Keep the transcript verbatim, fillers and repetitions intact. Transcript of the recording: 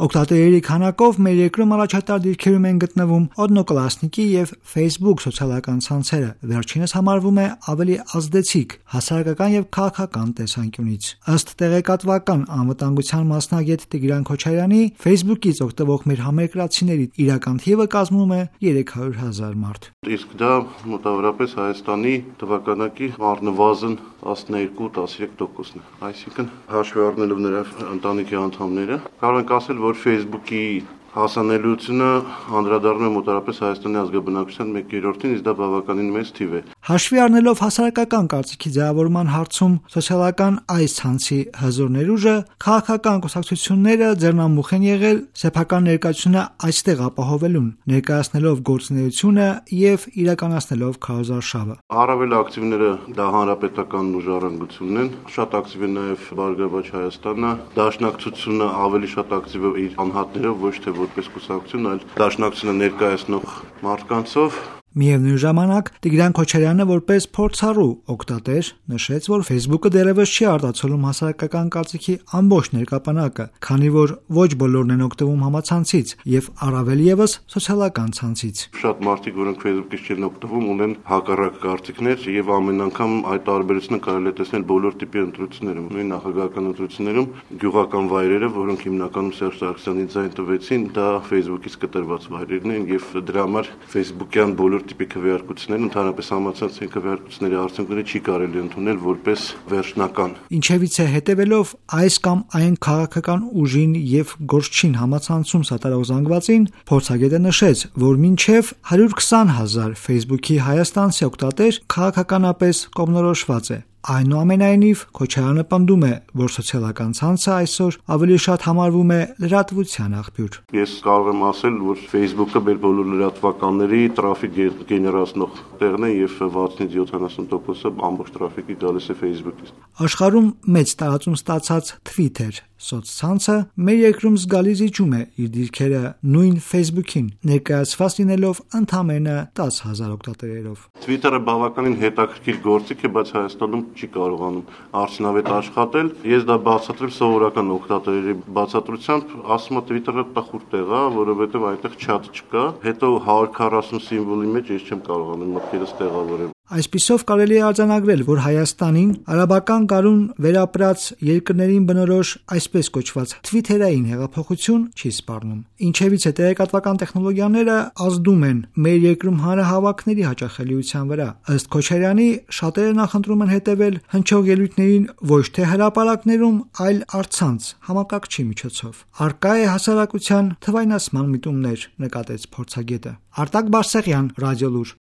Օգտատերերի քանակով մեր երկրում առաջատար դիրքերում են գտնվում Օդնոկլասնիկի եւ Facebook սոցիալական ցանցերը, վերջինս համարվում է ավելի ազդեցիկ հասարակական եւ քաղաքական տեսանկյունից։ Ըստ տեղեկատվական անվտանգության մասնագետ Տիգրան Քոչարյանի, Facebook-ից օգտվող մեր համերկրացիների իրական թիվը կազմում է երեք հարյուր հազար մարդ։ Իսկ դա մոտավորապես Հայաստանի թվականակի առնվազն տասներկու տասնյոթ տոկոսն է։ Այսինքն հաշվի առնելով նրա ընտանիքի անդամները, կարող ենք ասել, որ Facebook-ի հասանելիությունը անդրադառնում է մոտավորապես Հայաստանի ազգաբնակչության մեկ երրորդին, իսկ դա բավականին մեծ թիվ է։ Հաշվի առնելով հասարակական կարծիքի ձևավորման հարցում սոցիալական այս ցանցի հզոր ներուժը, քաղաքական կուսակցությունները ձեռնամուխ են եղել սեփական ներկայությունը այստեղ ապահովելուն, ներկայացնելով գործունեությունը եւ իրականացնելով քարոզարշավը։ Առավել ակտիվները դա հանրապետական ուժառանգությունն են, շատ ակտիվ է նաեւ Բարգավաճ Հայաստանը, Դաշնակցությունը ավելի շատ ակտիվ է իր անհատներով, ոչ թե որպես կուսակցություն, այլ Դաշնակցությունը ներկայացնող մարդկանցով։ Միևնույն ժամանակ Տիգրան Քոչարյանը որպես փորձառու օգտատեր նշեց, որ Facebook-ը դեռևս չի արտացոլում հասարակական կարծիքի ամբողջ ներկապանակը, քանի որ ոչ բոլորն են օգտվում համացանցից եւ առավել եւս սոցիալական ցանցից։ Շատ մարդիկ, որոնք Facebook-ից չեն օգտվում, ունեն հակառակ կարծիքներ եւ ամեն անգամ այդ տարբերությունը կարելի է տեսնել բոլոր տիպի ընտրություններում, նույն նախագահական ընտրություններում գյուղական վայրերը, որոնք հիմնականում Սերժ Սարգսյանին ձայն տվեցին, դա Facebook-ից կտրված վայրերն են եւ դրա համար Facebook-յան բոլոր տիպի քվեարկությունները, ընդհանրապես համացանցային քվեարկությունների արդյունքները չի կարելի ընդունել որպես վերջնական։ Ինչևից է հետևելով այս կամ այն քաղաքական ուժին եւ գործչին համացանցում սատարող զանգվածին, փորձագետը նշեց, որ մինչեւ հարյուր քսան հազար Facebook-ի հայաստանցի օգտատեր քաղաքականապես կողմնորոշված է։ Այնուամենայնիվ, Քոչարյանը պնդում է, որ սոցիալական ցանցը այսօր ավելի շատ համարվում է լրատվության աղբյուր։ Ես կարող եմ ասել, որ Facebook-ը մեր բոլոր լրատվականների տրաֆիկ գեներացնող տեղն է եւ վաթսունից յոթանասուն տոկոսը ամբողջ տրաֆիկի գալիս է Facebook-ից։ Աշխարհում մեծ տարածում ստացած Twitter սոցցանցը մեր երկրում զգալի զիջում է իր դիրքերը նույն Facebook-ին, ներկայացված լինելով ընդամենը տասը հազար օգտատերերով։ Twitter-ը բավականին հետաքրքիր գործիք է, բայց Հայաստանում չի կարողանում արդյունավետ աշխատել։ Ես դա բացատրեմ սովորական օգտատերերի բացատրությամբ, ասում եմ Twitter-ը տխուր տեղ է, որովհետև այնտեղ chat չկա։ Հետո հարյուր քառասուն սիմվոլի մեջ ես չեմ կարողանում մտքերս տեղավորել։ Այսպիսով կարելի է արձանագրել, որ Հայաստանին արաբական գարուն վերապրած երկրներին բնորոշ այսպես կոչված Twitter-ային հեղափոխություն չի սպառնում։ Ինչևից է տեղեկատվական տեխնոլոգիաները ազդում են մեր երկրում հանրահավաքների հաճախելիության վրա։ Ըստ Քոչարյանի, շատերը նախընտրում են հետևել հնչող ելույթներին ոչ թե հրապարակներում, այլ առցանց համակարգչի միջոցով։ Առկա է հասարակության թվայնացման միտումներ, նկատեց փորձագետը։ Արտակ Բարսեղյան, Ռադիոլուր։